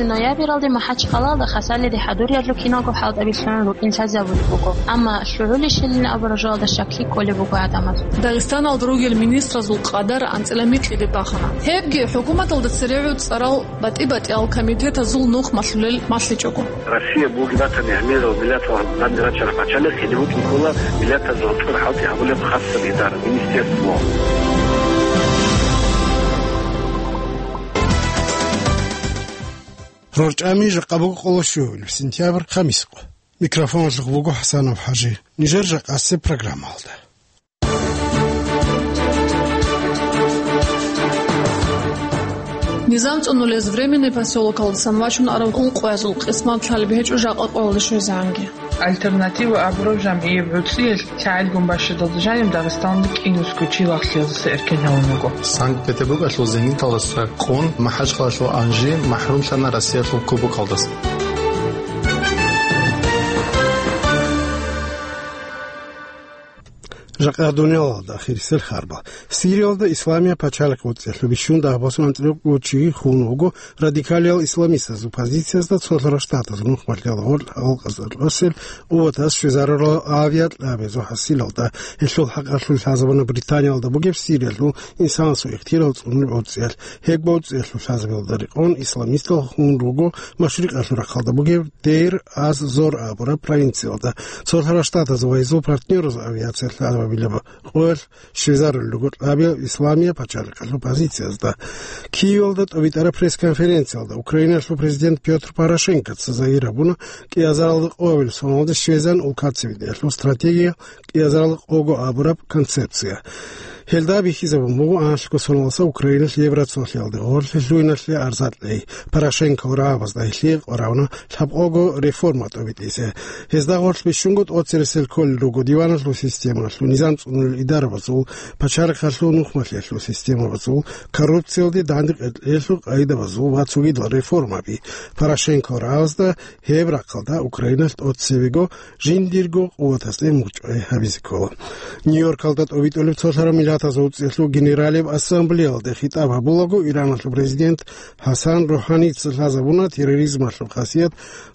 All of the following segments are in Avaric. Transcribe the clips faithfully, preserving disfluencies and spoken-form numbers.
Ноябралде МахӀачхъалаялда Хасалиде хӀадуриялъул киналго хӀалтӀаби лъугӀун рукӀин лъазабулеб буго, амма лъугӀулищилин абураб жоялда щаклъи кколеб буго гӀадамаз. Дагъистаналда ругел министразул къадар анцӀила микьиде бахана. Гьебги хӀукуматалда церегӀур цӀарал батӀи-батӀиял комитетазул нух малъулел малъичӀого. Россия бугеб батани гӀемерал миллатал данде рачараб пачалихъ гьенив вукӀин ккола миллатазул гьоркьор хӀалтӀи гьабулеб хасаб идара, министерство. РорчӀами жакъа буго къоло щуабилеб сентябрь, хамис къо. Микрофоналъухъ буго ХӀасанов ХӀажи. Нижер жакъасеб программалда. Низам цӀунулез Временный посёлокалдасан вачун арав ункъоязул къисмат лъалеб гьечӀо жакъа къоялда щвезегӀанги. Альтернатива абураб жамгӀияб гӀуцӀиялъ лъагӀелгун бащадалда жаниб Дагъистаналда кӀинусго чи лагълъиялдаса эркен гьавун вуго. Санкт-Петербургалъул зенгинталдаса къун МахӀачхъалаялъул Анжи махӀрумлъана Россиялъул кубокалдаса. Жакъа дуниялалда ахирисел харбал. Сириялда Исламияб пачалихъ гӀуцӀиялъул бищун дагьабасун анцӀила кӀудияб чи хун вуго радикалиял исламистазул позициязда цолъарал штатазул нухмалъиялда гъоркь халкъазда росел къуватаз щвезарурал авиакьабазул хӀасилалда. Гьелъул хӀакъалъулъ лъазабуна Британиялда бугеб Сириялъул инсанасул ихтияр цӀунулеб гӀуцӀиялъ. Гьеб гӀуцӀиялъул лъазабиялда рекъон исламистал хун руго машрикъалъул рахъалда бугеб Дейр аз-Зор абураб провинциялда. Цолъарал штатазул ва гьезул партнераз авиация лъазабилеб къоялъ щвезарулел руго кьабил Исламияб пачалихъалъул позициязда. Киевалда тӀобитӀараб пресс-конференциялда Украиналъул президент Пётр Порошенкоца загьир гьабуна, кӀиазаралда къоялъ соналда щвезан улкацевидиялъул стратегия, кӀиазаралда къого абураб концепция. Гьелда бихьизабун буго анлъго соналдаса Украиналъ Евроцолъиялде гъорлъе лъугьиналъе арзат гьей. Порошенко ва рагӀабазда гьелъие къваригӀуна лъабкъого реформа тӀобитӀизе. Гьезда гъорлъ бищунго тӀоцересел кколел руго диваналъул системалъул низам цӀунулел идарабазул, пачалихъалъул нухмалъиялъул системабазул, коррупциялде данде къеркьеялъул къагӀидабазул ва цогидал реформаби. Порошенко ва рагӀабазда гьеб рахъалда Украиналъ тӀоцебего жиндирго къуватасде мугъчӀвай гьабизе ккола. Нью-Йоркалда тӀобитӀулеб Цолъарал Миллатазул ГӀуцӀиялъул Генералияб Ассамблеялде хитӀаб гьабулаго Ираналъул президент ХӀасан РухӀаница лъазабуна терроризмалъул хасият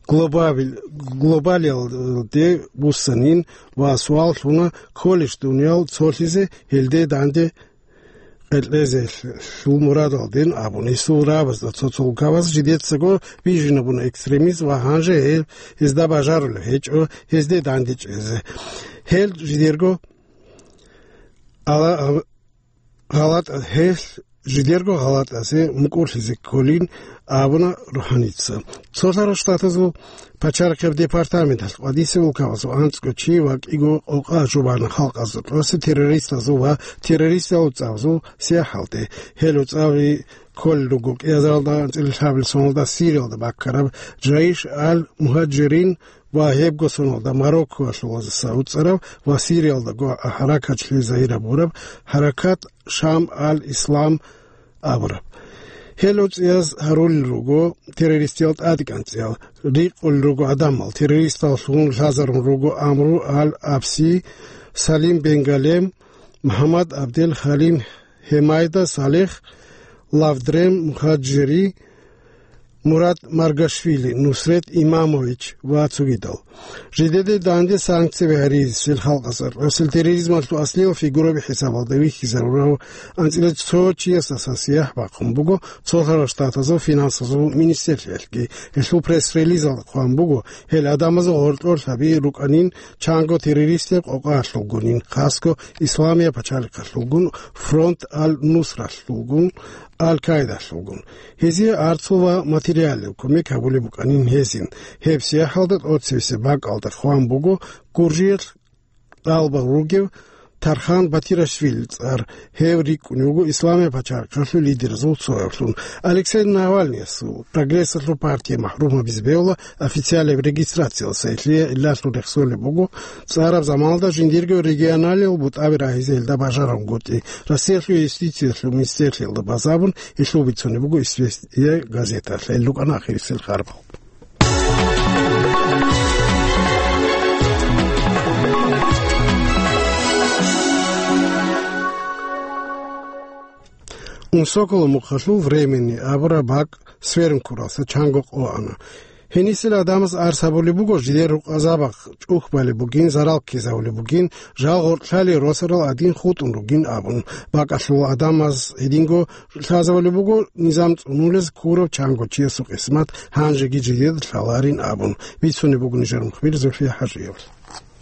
глобабил-, глобалиялде буссанин ва суал лъуна кколищ дуниял цолъизе гьелде данде къеркьезе лъул мурадалдин абун. Гьесул рагӀабазда цо-цо улкабаз жидецаго бижинабуна экстремизм ва гьанже гьел гьезда бажарулеб гьечӀо гьезде данде чӀезе. Гьел жидерго ала-, гъалатӀа-, гьел жидерго гъалатӀазе мукӀурлъизе кколин абуна РухӀаница. Цолъарал Штатазул пачалихъияб департаменталъ къватӀисеб улкабазул анцӀго чи ва кӀиго къокъа жубана халкъазда тӀоцебе террористазул ва террористал уцӀабазул сияхӀалде. Гьел уцӀаби кколел руго кӀиазаралда анцӀила лъабабилеб соналда Сириялда баккараб Жаиш ал-Мухаджирин ва гьебго соналда Мароккоялъулазаса уцӀараб ва Сириялдаго гьаракатлъи загьир гьабураб Гьаракат Шам ал-Ислам абураб. Гьел уцӀияз гьарулел руго террористиял тӀадекӀанцӀиял, рикъулел руго гӀадамал, террористаллъун лъазарун руго Амру ал-Абси, Салим бен Галем, МухӀаммад Абдел Халим, Хемайда Салех, Лавдрем Мухаджири, Мурад Маргашвили, Нусрет Имамович ва цогидал. Жидеде данде санкцияби гьаризесел халкъазда тӀоцебе терроризмалъул аслиял фигураби хӀисабалда вихьизарурав анцӀила цо чиясдаса сияхӀ бахъун буго Цолъарал Штатазул финансазул министрлъиялъги. Гьелъул пресс-релизалда хъван буго, гьел гӀадамазул гьоркьор лъаби рукӀанин чанго террористияб къокъаялъулгунин, хасго Исламияб пачалихъалъулгун, Фронт ал-Нусралъулгун, Ал-Каидалъулгун. Гьезие арцул ва материалияб кумек гьабулеб букӀанин гьезин. Гьеб сияхӀалда тӀоцебесеб бакӀалда хъван буго Гуржиялъ тӀалабал ругев Тархан Батирашвилил цӀар. Гьев рикӀкӀунев вуго Исламияб пачалихъалъул лидеразул цоявлъун. Алексей Навальныясул, Прогрессалъул партия махӀрум гьабизе бегьула официалияб регистрациялдаса, гьелъие гӀиллалъун рехсолеб буго цӀараб заманалда жиндирго регионалияб бутӀаби рагьизе гьелда бажарангутӀи. Россиялъул юстициялъул министрлъиялда базабун, гьелъул бицунеб буго «Известия» газеталъ. Гьел рукӀана ахирисел харбал. Унсоколо мухъалъул «Временный» абураб бакӀ сверун ккуралдаса чанго къо ана. Гьенисел гӀадамаз арс гьабулеб буго, жидер рукъазабахъ чӀухь балеб бугин, зарал ккезавулеб бугин, жал гъоркьлъали росарал гӀадин хутӀун ругин абун. БакӀалъул гӀадамаз гьединго лъазабулеб буго, низам цӀунулез ккурав чанго чиясул къисмат гьанжеги жидеда лъаларин абун. Бицунеб буго нижер мухбир Зульфия ХӀажиевалъ.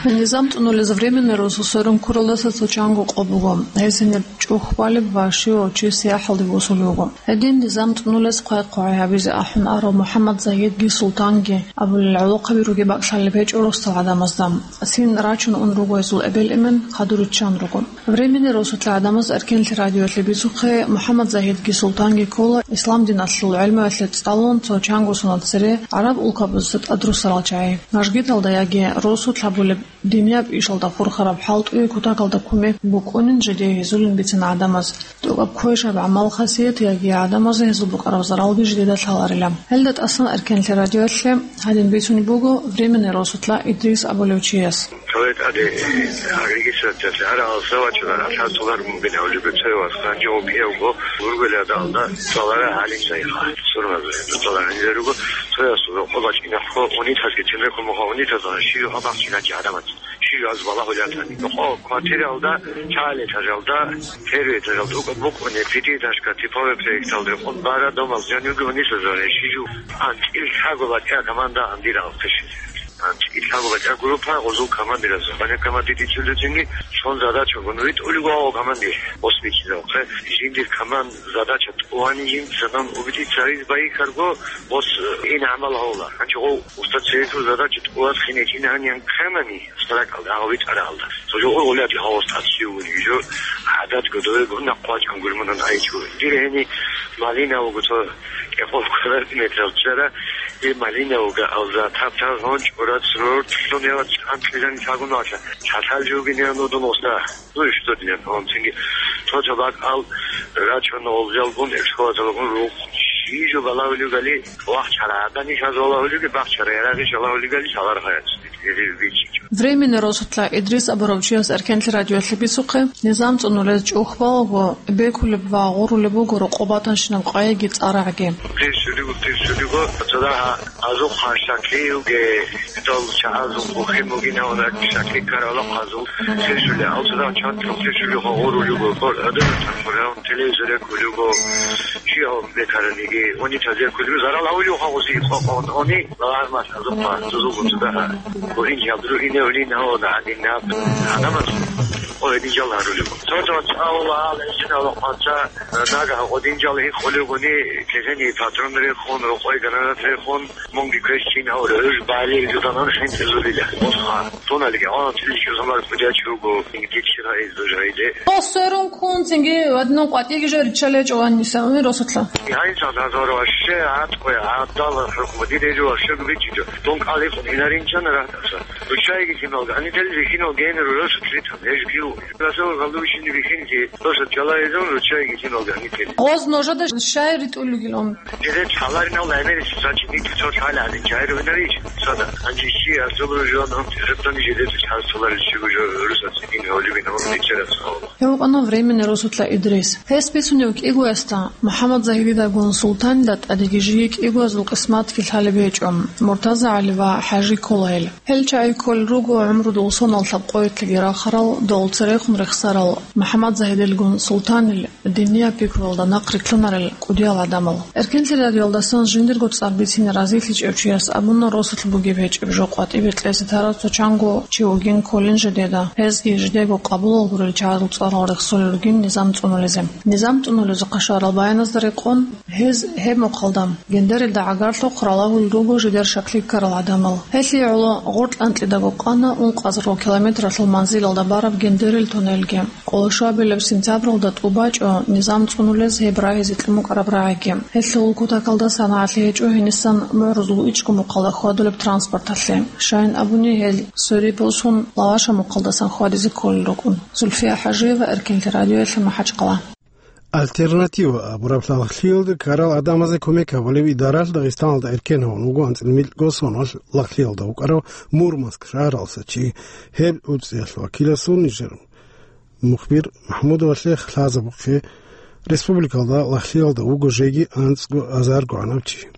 Низам цӀунулез временный росу сверун ккуралдаса цо чанго къо буго. Гьез гьениб чӀухь балеб ва щивав чи сияхӀалде босулев вуго. Гьедин низам цӀунулез хъвай-хъвай гьабизе ахӀун арав МухӀаммад Загьидги Султанги абулел гӀолохъаби ругеб бакӀлъалеб гьечӀо росдал гӀадамазда. Цин рачун ун руго гьезул эбел-эмен, хадур риччан руго. Временный росулъа гӀадамаз Эркенлъи радиоялъе бицухъе, МухӀаммад Загьидги Султанги ккола ислам диналъул гӀелмуялъе цӀалун цо чанго соналъ цере гӀараб улкабазда тӀадрусарал чагӀи. Мажгиталда яги росулъ гьабулеб динияб ишалда хурхараб хӀалтӀуе кутакалда кумек букӀунин жидее гьезулин бицана гӀадамаз. ТӀокӀаб квешаб гӀамал-хасият яги гӀадамазе гьезул букӀараб заралги жидеда лъаларила. Гьелда тӀасан Эркенлъи радиоялъе гьадин бицунеб буго временный росулъа Идрис абулев чияс. Цо тӀаде, э, агрегистрациялъе гьарал савачула ралъа цолар мугин гьавлиго цевас хъанчӀо кӀиявго гургуладалда цолара гьалин сайха. Сурмаза цолара нилеруго цоясул рокъо бачӀинахъо унитазги тимехъо муха унитазан ши юха бахчиначи гӀадамат. Ши юха аз балагьулятани. Рокъо квартиралда, чагӀал этажалда, первый этажалда, ука букӀуне, пятиэтажка типовой проекталда, къун бара домал жанивги унитазан ши жу. АнцӀил лъаго бачӀа команда андира алхъишин. Ицаго бачӀа группа гъозул командиразул. Баня командир ицулезинги сон задача гун витӀулего гьав командир. Ос бичизавхъе. Жиндир команд задача тӀувани жин цанан убити цариз байикарго ос, э, ин гӀамал гьавла. Гьанчи гъов устад цересул задача тӀуваз хинечӀин гьаниян кканани, саракалда гьав витӀаралда. Цо жо гъур гъуляти гьав устад сиуни, жо гӀадат годове гун накъвачӀан гурманан айчу. Дир гьени малина вуго цо кӀикъол квадратный метрал чара, и малина вуга алза, тап-тар гьон чӀурат сурурт лъун ява чӀан кьижан чагун ваша. Чатал жугин ян удун уста. Ну и что для он цинги. Цо цо бак ал рачун олзалгун, экскаваторгун рух. Ши жо балагьулигали, вахчара, адани шазолагьулиги, бахчара, ярагъи шалагьулигали, шалар хаяц. Временный росулъа Идрис абурав чияс Эркенлъи радиоялъе бицухъе, низам цӀунулез чӀухь балаго, бекулеб ва гъурулеб буго рокъоб батанщинаб къайиги цӀарагӀги. Тирсулигу, тирсулигу, цадагьа азухъа шаклиуге, дол чагӀазул бухин бугин гьавна шакли карала хъазул, тирсули, ал цадагьа чантлъухъ тирсулиха гъурулигу, гъор адабатан хъурав. Телевизор якулего, чи гьав бекараниги, они таза якулего, зарал гьавулев хавузи, къо-, къо-, они, лагъармас, азукъа, зузугу цудаха, гурин жабру ине улин гьавада гьадин наб, гьадамас, о, эдин жал гьарулего. Цо-цо цавла, лежина ва къанца, нага гьадин жал гьикъулегуни, кезени патрон рехун, рукъой гранат рехун, Мунги квеш чин гьавра, гьуж балил жуданан хӀинтӀизулила. Мусха. Туналги гьанав цӀиличӀо замар кудячуго, ингитчира гьезда жайде. Тосерун кун цинги ваднун къватӀиги жо риччалечӀо ванниса, уни росулъа. Гьайса зазор ваще, гӀатӀкъе, гӀабдал хӀукму диде жо ваще губичичо. Тун кӀалихъун инаринчан ратаса. Ручайги киналга, ани тел вихинал гейнер росулъ ритан, гьеж гиу. Расул галдурщини вихинги, росулъ чалайзун ручайги киналга, ани тел. Гъоз нужада щай ритӀулигилан? Жидец гьаларинал гӀемерисеб сачи микьцо лъалаани чагӀир винарищ? Сада, гьанже щи асулу жуан гьанти хӀеттани жидец чагӀаз толарищи гужо гӀурусац ин гьолибин гьун микьчерас гьавла. Гьев вукӀана временный росулъа Идрис. Гьес бицунев кӀигоясда, МухӀаммад Загьидидагун Султанида тӀадеги жиги кӀигоязул къисматги лъалеб гьечӀо, Муртаза ГӀали ва ХӀажи Кулгьел. Гьел чагӀи кколел руго гӀумрудул сонал лъабкъоялъеги рахарал, дол церехун рехсарал, МухӀаммад Загьидилгун Султанил, диниял пикруялда нахърилълъунарел кӀудиял гӀадамал. Эркенлъи радиоялдасан жиндирго цӀар бицине разилъичӀев чияс абуна росулъ бугеб гьечӀеб жо къватӀибе кьезе тарав цо чанго чи вугин кколин жидеда, гьезги жидего къабулал гурел чагӀазул цӀарал рехсолел ругин низам цӀунулезе. Низам цӀунулезухъа щварал баяназда рекъон, гьез гьеб мухъалда гендерилда гӀагарлъухъ ралагьулел руго жидер шаклъи ккарал гӀадамал. Гьелъие гӀоло гъоркь анкьидаго къана ункъазарго километралъул манзилалда бараб гендерил туннелги. Къоло щуабилеб сентябралда тӀубачӀо низам цӀунулез гьеб рагьизе кьун букӀараб рагӀиги. Гьелъул кутакалда санагӀалъи гьечӀо гьенисан мугӀрузул ичӀго мухъалда хьвадулеб транспорталъе. Щайин абуни, гьел свериб босун Лаваша мухъалдасан хьвадизе кколел рукӀун. Зульфия ХӀажиева, Эркенлъи радиоялъе, МахӀачхъала. Альтернатива абураб лагълъиялда ккарал гӀадамазда кумек гьабулев идаралъ Дагъистаналда эркен гьавун вуго анцӀила микьго соналъ лагълъиялда вукӀарав Мурманск шагьаралдаса чи. Гьеб уцӀиялъ вакиласул нижер мухбир МахӀмудовалъе лъазабухъе Республикалда лагълъиялда вуго жеги анцӀго азарго гӀанав чи.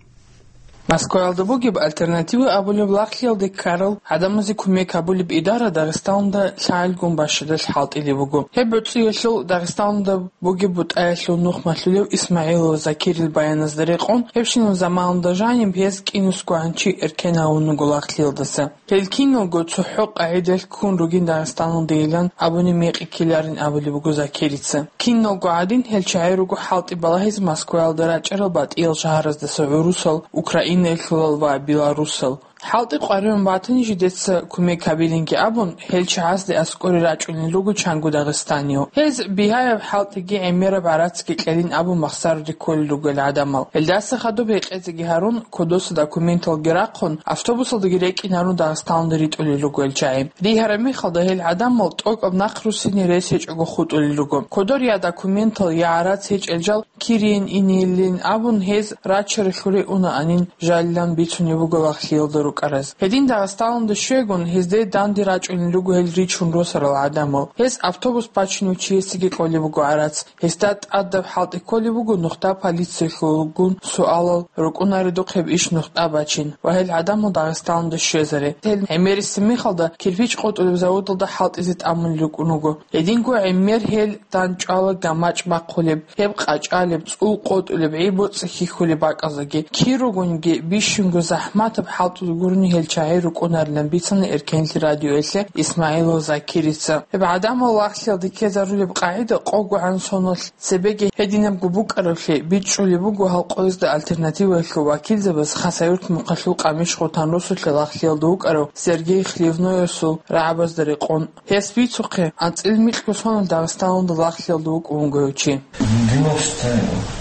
Москваялда бугеб «Альтернатива» абулеб лагълъиялде ккарал гӀадамазе кумек гьабулеб идара Дагъистаналда лъагӀелгун бащадалъ хӀалтӀилеб буго. Гьеб гӀуцӀиялъул Дагъистаналда бугеб бутӀаялъул нух малъулев ИсмагӀилов Закирил баяназда рекъон, гьебщинаб заманалда жаниб гьез кӀинусгогӀан чи эркен гьавун вуго лагълъиялдаса. Гьел киналго цохӀо къагӀидалъ ккун ругин Дагъистаналдейилан абуни мекъи ккеларин абулеб буго Закирица. Киналго гӀадин, гьел чагӀи руго хӀалтӀи балагьизе Москваялда рачӀарал батӀиял шагьараздаса гӀурусал, Украинаялъулал ва Беларусал. ХӀалтӀи къваригӀун батани, жидеца кумек гьабилинги абун, гьел чагӀазде аскӀоре рачӀунел руго чанго дагъистаниял. Гьез бигьаяб хӀалтӀиги гӀемераб гӀарацги кьелин абун махсаруде кколел ругел гӀадамал. Гьелдаса хадуб гьекъезеги гьарун, кодоса документалги рахъун, автобусалдаги рекӀинарун Дагъистаналде ритӀулел руго гьел чагӀи. Ригьараб мехалда гьел гӀадамал тӀокӀаб нахъ руссине рес гьечӀого хутӀулел руго. Кодор я документал, я гӀарац гьечӀел жал Кириен инейилин абун, гьез рачаралъуре унаанин жалилан бицунеб буго лагълъиялда рукӀараз. Гьедин Дагъистаналда щвегун, гьезде данде рачӀунел руго гьел ричун росарал гӀадамал. Гьез автобус бачунев чиясеги кьолеб буго гӀарац. Гьесда тӀадаб хӀалтӀи кколеб буго нухда полициялъулгун суалал рукӀунаредухъ гьеб иш нухда бачин ва гьел гӀадамал Дагъистаналда щвезаре. Гьел гӀемерисеб мехалда кирпич къотӀулеб заводалда хӀалтӀизе тӀамун рукӀун руго. Гьединго гӀемер гьел дандчӀвала гамачӀ бахъулеб, гьеб къачӀалеб, цӀул къотӀулеб, гӀи-боцӀи хьихьулеб бакӀаздаги. Кир ругониги, бищунго захӀматаб хӀалтӀуде гурони гьел чагӀи рукӀунарилан бицана Эркенлъи радиоялъе Исмагьилов Закирица. Гьеб гӀадамал лагълъиялде ккезарулеб къагӀида къогогӀан соналъ цебеги гьединабго букӀаравлъи бичӀчӀулеб буго гьал къоязда «Альтернативаялъул» вакилзабаз Хасавюрт мухъалъул Къамиш-Хутан росулъа лагълъиялда вукӀарав Сергей Хлевноевасул рагӀабазда рекъон. Гьес бицухъе, анцӀил микьго соналъ Дагъистаналда лагълъиялда вукӀун вуго гьев чи. В девяносто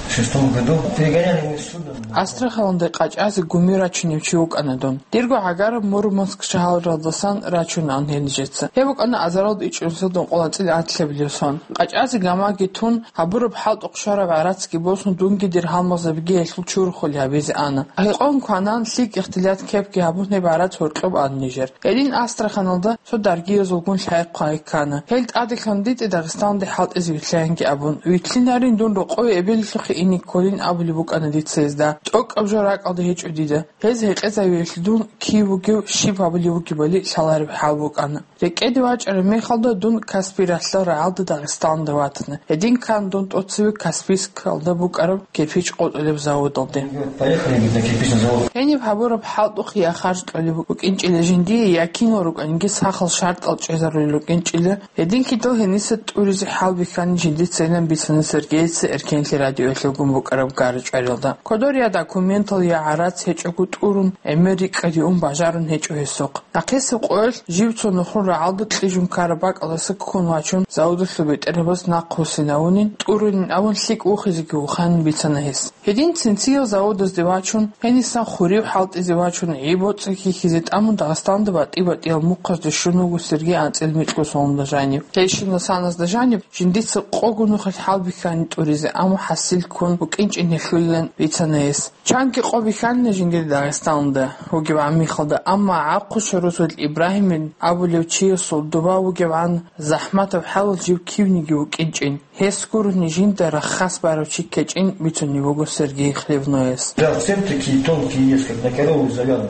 шестом году перегоняли мы с судном. Астраханалде къачӀазе гуми рачунев чи вукӀана дун. Дирго гӀагараб Мурманск шагьаралдасан рачунаан гьел нижеца. Гьеб букӀана азаралда ичӀнусиялда ункъоялда анцӀила анлъабилеб сон. КъачӀазе гамаги тун, гьабураб хӀалтӀухъ щвараб гӀарацги босун, дунгидер гьалмагъзабиги гьелъул чурхулги гьабизе ана. Гьекъон кванан, лъикӀ ихтилат кепги гьабун, гьеб гӀарац гьоркьоб ана нижер. Гьедин Астраханалда цо даргиязулгун лъай-хъвай ккана. Гьел тӀаде ккан дитӀе Дагъистаналде хӀалтӀизе вилълъаянги абун, вилълъинарин, дун рокъове эбелалъухъе ине кколин абулеб букӀана дица гьезда. ТӀокӀаб жо ракӀалда гьечӀо дида. Гьез гьекъезавиялъе дун кив вугев, щиб гьабулев вугебали лъалареб хӀал букӀана. РекӀеде вачӀараб мехалда дун Каспий ралъдал рагӀалда Дагъистаналда ватана. Гьедин ккан дун тӀоцеве Каспийскалда букӀараб кирпич къотӀулеб заводалде. Поехали, говорит, на кирпичный завод. Гьениб гьабураб хӀалтӀухъ я харж кьолеб букӀинчӀила жиндие, я кинал рукӀаниги сахал шартӀал чӀезарулел рукӀинчӀила, гьединлъидал гьениса тӀуризе хӀалбихьани жиндицайилан бицана Сергейица Эркенлъи радиоялъулгун букӀараб гара-чӀваралда. Кодор я документал, я гӀарац гьечӀого тӀурун, гӀемер рикӀкӀаде ун бажарун гьечӀо гьесухъ. Нахъисеб къоялъ жив цо нухрул рагӀалда кьижун ккараб бакӀалдаса ккун вачун, заводалъул бетӀергьабаз нахъ вуссинавунин, тӀурунин абун лъикӀ вухизеги вуханин бицана гьес. Гьедин цинциял заводазде вачун, гьенисан хурив хӀалтӀизе вачун, гӀи-боцӀи хьихьизе тӀамун, Дагъистаналда батӀи-батӀиял мухъазде щун вуго Сергей анцӀил микьго соналда жанив. Гьелщинал саназда жаниб жиндица къого нухалъ хӀалбихьани тӀуризе, амма хӀасил ккун букӀинчӀин гьелъулилан бицана гьес. Чанги къо бихьанина жиндир Дагъистаналда вугеб гӀамихалда, амма ГӀахъу Шорозул Ибрагьимин абулев чиясул доба вугебгӀан захӀматаб хӀалалъ жив кивниги вукӀинчӀин, гьес гурони жинда рахас барав чи ккечӀин бицунеб буго Сергей Хлевнояс. Да, цепь такие тонкие есть, как на корову завязаны.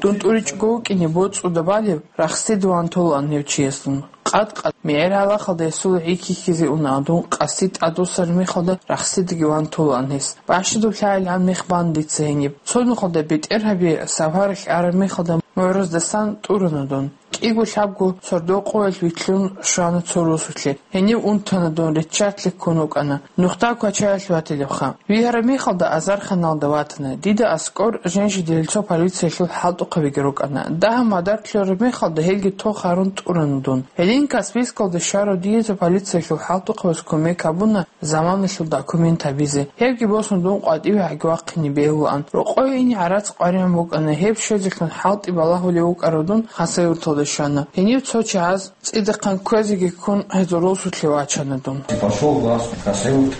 Дун тӀуричӀого вукӀине боцӀуда балеб, рахсидаван толаан гьев чиясдун. Къад-къад мегӀер гьалахалда гьесул гӀи хьихьизе уна, дун къаси тӀадвуссараб мехалда рахсидаги ван толаан гьес. Бащадаб лъагӀел гьан мех бан дица гьениб. Цо нухалда бетӀергьаби сапаралъ араб мехалда мугӀраздасан тӀурана дун. КӀиго-лъабго сордо къоялъ вилълъун щвана цо росулъе. Гьенив унтана дун, риччалъе ккун вукӀана. Нухда квачаялъ ватилебха. Вигьараб мехалда азарханалда ватана. Дида аскӀор жен-жидерил цо полициялъул хӀалтӀухъабиги рукӀана. Дагьаб мадар лъураб мехалда гьелги тохарун тӀурана дун. Гьедин Каспийскалда щварав дие цо полициялъул хӀалтӀухъабаз кумек гьабуна, заманалъул документ гьабизе. Гьебги босун дун къватӀиве гӀаги вахъине бегьулаан. Рокъове ине гӀарац къваригӀун букӀана, гьеб щвезелъун хӀалтӀи балагьулев вукӀарав дун Хасавюрталда щвана. Гьенив цо чагӀаз цӀидахъан кквезеги ккун гьезул росулъе вачана дун. Пошёл в Хасавюрт,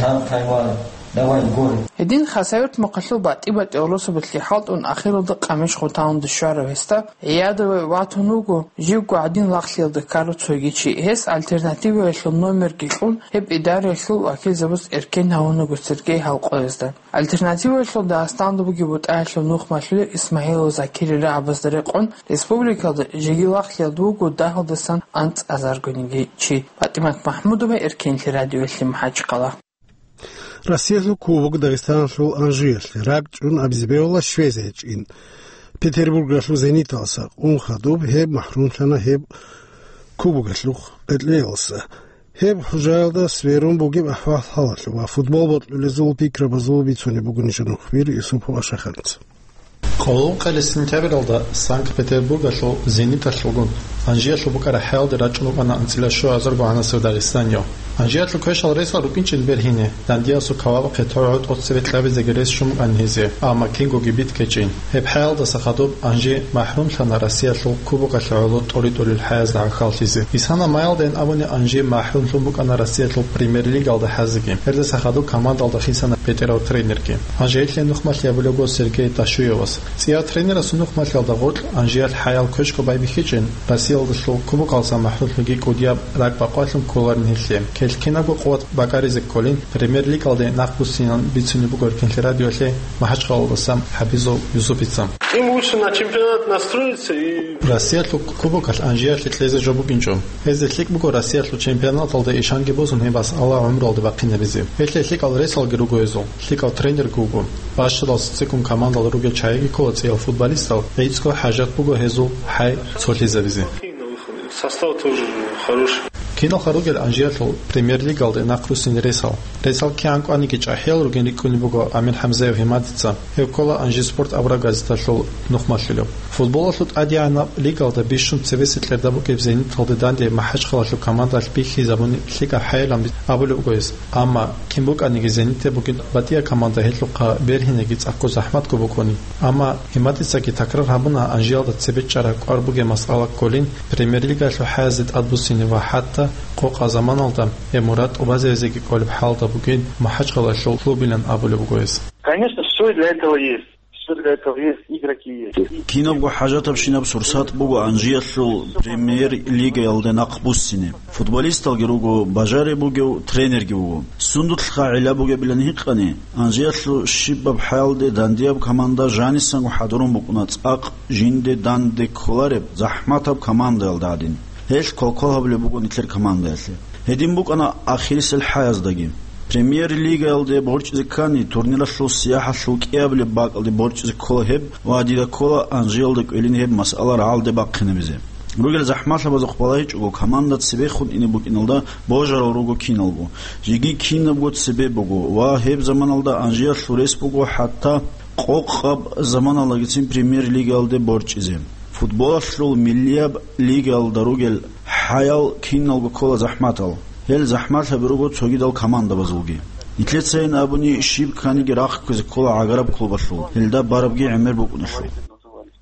там поймали. Давай, горе. Гьедин Хасавюрт мухъалъул батӀи-батӀи гӀурусабазги хӀалтӀун, ахиралда къамиш хутӀун щварав гьесда гӀиядаве ватун вуго живго гӀадин лагълъиялда ккарав цоги чи. Гьес «Альтернативаялъул» номерги кьун, гьеб идараялъул вакилзабаз эркен гьавунаго Сергей гьал къоязда. «Альтернативаялъул» Дагъистаналда бугеб бутӀаялъул нухмалъулев Исмагьилов Закирил рагӀабазда рекъон, республикалда жеги лагълъиялда вуго дагьалдасан анцӀазаргониги чи. ПатӀимат МахӀмудова, Эркенлъи радиоялъе, МахӀачхъала. Россиялъул кубок Дагъистаналъул Анжиялъе ракӀчӀун абизе бегьула Швезия чӀин. Петербургиялъул «Зениталдаса» къун хадуб, гьеб махӀрумлъана гьеб кубокалъул къеркьеялдаса. Гьеб хӀужаялда сверун бугеб ахӀвал-хӀалалъул ва футбол бокьулезул пикрабазул бицунеб буго нижер нухбир Юсупов Ашаханца. Къоло ункъоялда сентябралда Санкт-Петербургалъул «Зениталъулгун» Анжиялъул букӀараб хӀаялде рачӀун вукӀана анцӀила щуазарго гӀанасев дагъистанияв. Анжиялъул квешал ресал рукӀинчӀин бергьине, дандиясул кавабахъе тӀогӀо тӀоцебе кьабизеги рес щун букӀана гьезие, амма кингоги битӀкӀинчӀин. Гьеб хӀаялдаса хадуб Анжи махӀрумлъана Россиялъул кубокалъе гӀоло тӀоритӀулел хӀаязда гӀахьаллъизе. Исана майялдайин абуни Анжи махӀрумлъун букӀана Россиялъул премьер-лигалда хӀазеги. Гьелдаса хадуб командалда хисана бетӀерав тренерги. Анжи гьелъие нухмалъи абулеб буго Сергей Дашуевас. ЦӀияв тренерасул нухмалъиялда гъоркь Анжиялъ хӀаял квешго байбихьичӀин, Россиялдалъул кубокалдаса махӀрумлъунги кӀудияб ракӀ бакъвалъун кколарин гьелъие. Кьел кинабго къуват бакӀаризе кколин, премьер-лигалде нахъбуссинилан бицунеб буго Эркенлъи радиоялъе МахӀачхъалаялдаса ХӀабизов Юсупица. Им лучше на чемпионат настроиться и Россиялъул кубокалъ Анжиялъе кьезе жо букӀинчӀо. Гьезде лъикӀ буго Россиялъул чемпионаталда ишанги босун гьеб масъала гӀумруялде бахъинабизе. Гьелъие лъикӀал ресалги руго гьезул, лъикӀал тренерги вуго. Бащалал ццикӀкӀун командалда ругел чагӀиги ккола цӀиял футболистал, гӀицӀго хӀажат буго гьезул хӀай цолъизабизе. Состав тоже хороший. Киналха ругел Анжиялъул премьер-лигалде нахъруссине ресал. Ресал кигӀан кӀваниги чӀахӀиял ругин рикӀкӀунеб буго Амир ХӀамзаев Гьимадица. Гьев ккола «Анжи спорт» абураб газеталъул нухмалъулев. Футболалъул тӀадегӀанаб лигалда бищун цебесеб кьерда букӀине «Зениталде» данде МахӀачхъалаялъул командалъ бихьизабуни лъикӀаб хӀайилан абулеб буго гьес. Амма кин букӀаниги «Зениталде» бугин батӀияб команда гьелъухъа бергьинеги цӀакъго захӀматго букӀуни. Амма Гьимадицаги такрар гьабуна Анжиялда цебе чӀараб кӀвар бугеб масъала кколин премьер-лигалъул хӀаязде тӀадбуссине ва хӀатта къокъаб заманалда гьеб мурад тӀубазабизеги кколеб хӀалда бугин МахӀачхъалаялъул клубилан абулеб буго гьес. Конечно, всё для этого есть. Всё для этого есть, игроки есть. Кинабго хӀажатабщинаб сурсат буго Анжиялъул премьер-лигаялде нахъбуссине. Футболисталги руго, бажариб бугев тренерги вуго. Сундулъха гӀилла бугебилан гьикъани, Анжиялъул щибаб хӀалалде дандияб команда жанисанго хӀадурун букӀуна цӀакъ жинде данде кколареб захӀматаб командаялда гӀадин. Гьелъ квалквал гьабулеб буго нилъер командаялъе. Гьедин букӀана ахирисел хӀаяздаги. Премьер-лигаялде борчӀизе ккани, турниралъул сияхӀалъул кӀиабилеб бакӀалде борчӀизе ккола гьеб ва дида ккола Анжиялда кӀвелин гьеб масъала рагӀалде бахъинабизе. Ругел захӀмалъабазухъ балагьичӀого, команда цебехун ине букӀиналда божарал руго киналго. Жеги кинабго цебе буго ва гьеб заманалда Анжиялъул рес буго хӀатта къокъаб заманалдагицин премьер-лигаялде борчӀизе. Футболалъул миллияб лигаялда ругел хӀаял киналго ккола захӀматал. Гьел захӀмалъаби руго цогидал командабазулги. Нилъецайин абуни, щиб кканиги рахъ кквезе ккола гӀагараб клубалъул, гьелда барабги гӀемер букӀуналъул.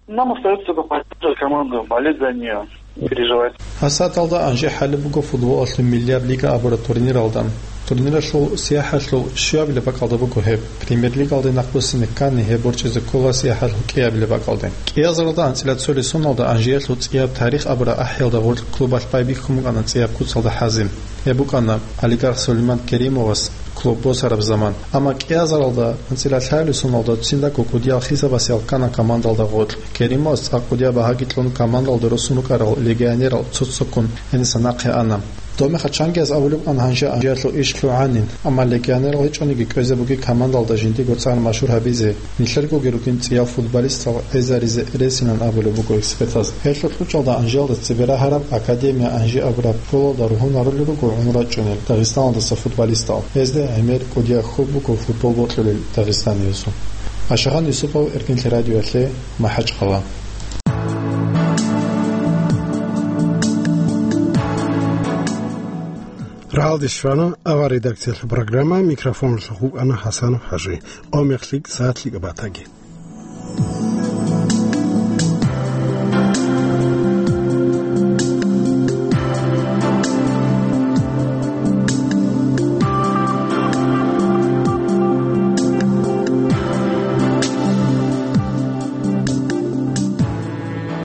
Нам остаётся только поддерживать команду, болеть за неё, переживать. Гьасаталда Анжи хӀалеб буго футболалъул миллияб лига абураб турниралда. Турниралъул сияхӀалъул щуабилеб бакӀалда буго гьеб. Премьер-лигалде нахъбуссине ккани, гьеб борчӀизе ккола сияхӀалъул кӀиабилеб бакӀалде. КӀиазаралда анцӀила цолесуналда Анжиялъул цӀияб тарих абураб ахӀиялда гъоркь клубалъ байбихьун букӀана цӀияб куцалда хӀазе. Гьеб букӀана олигарх Сулейман Керимовас клуб босараб заман. Амма кӀиазаралда анцӀила лъабилеб соналда циндаго кӀудиял хисабасеял ккана командалда гъоркь. Керимовас цӀакъ кӀудияб багьаги кьун командалда росун рукӀарал легионерал цо-цоккун гьениса нахъе ана. Доб мехалъ чангияз абулеб букӀана гьанже Анжиялъул иш лъугӀанин, амма легионерал гьечӀониги кӀвезе бугин командалда жиндиего цӀар машгьур гьабизе, нилъергоги ругин цӀиял футболистал гӀезаризе ресилан абулеб буго экспертаз. Гьелъул кьучӀалда Анжиялда цебе рагьараб Академия Анжи абураб школалда ругьунарулел руго гӀумру рачӀунел Дагъистаналдаса футболистал. Гьезда гӀемер кӀудияб хьул буго футбол бокьулел дагъистаниязул. Ашагъан Юсупов, Эркинлъи радиоялъе, МахӀачхъала. Рагьалде щвана авар редакциялъул программа, микрофоналъухъ вукӀана ХӀасанов ХӀажи. Къо мех лъикӀ, сагӀат лъикӀаб батаги.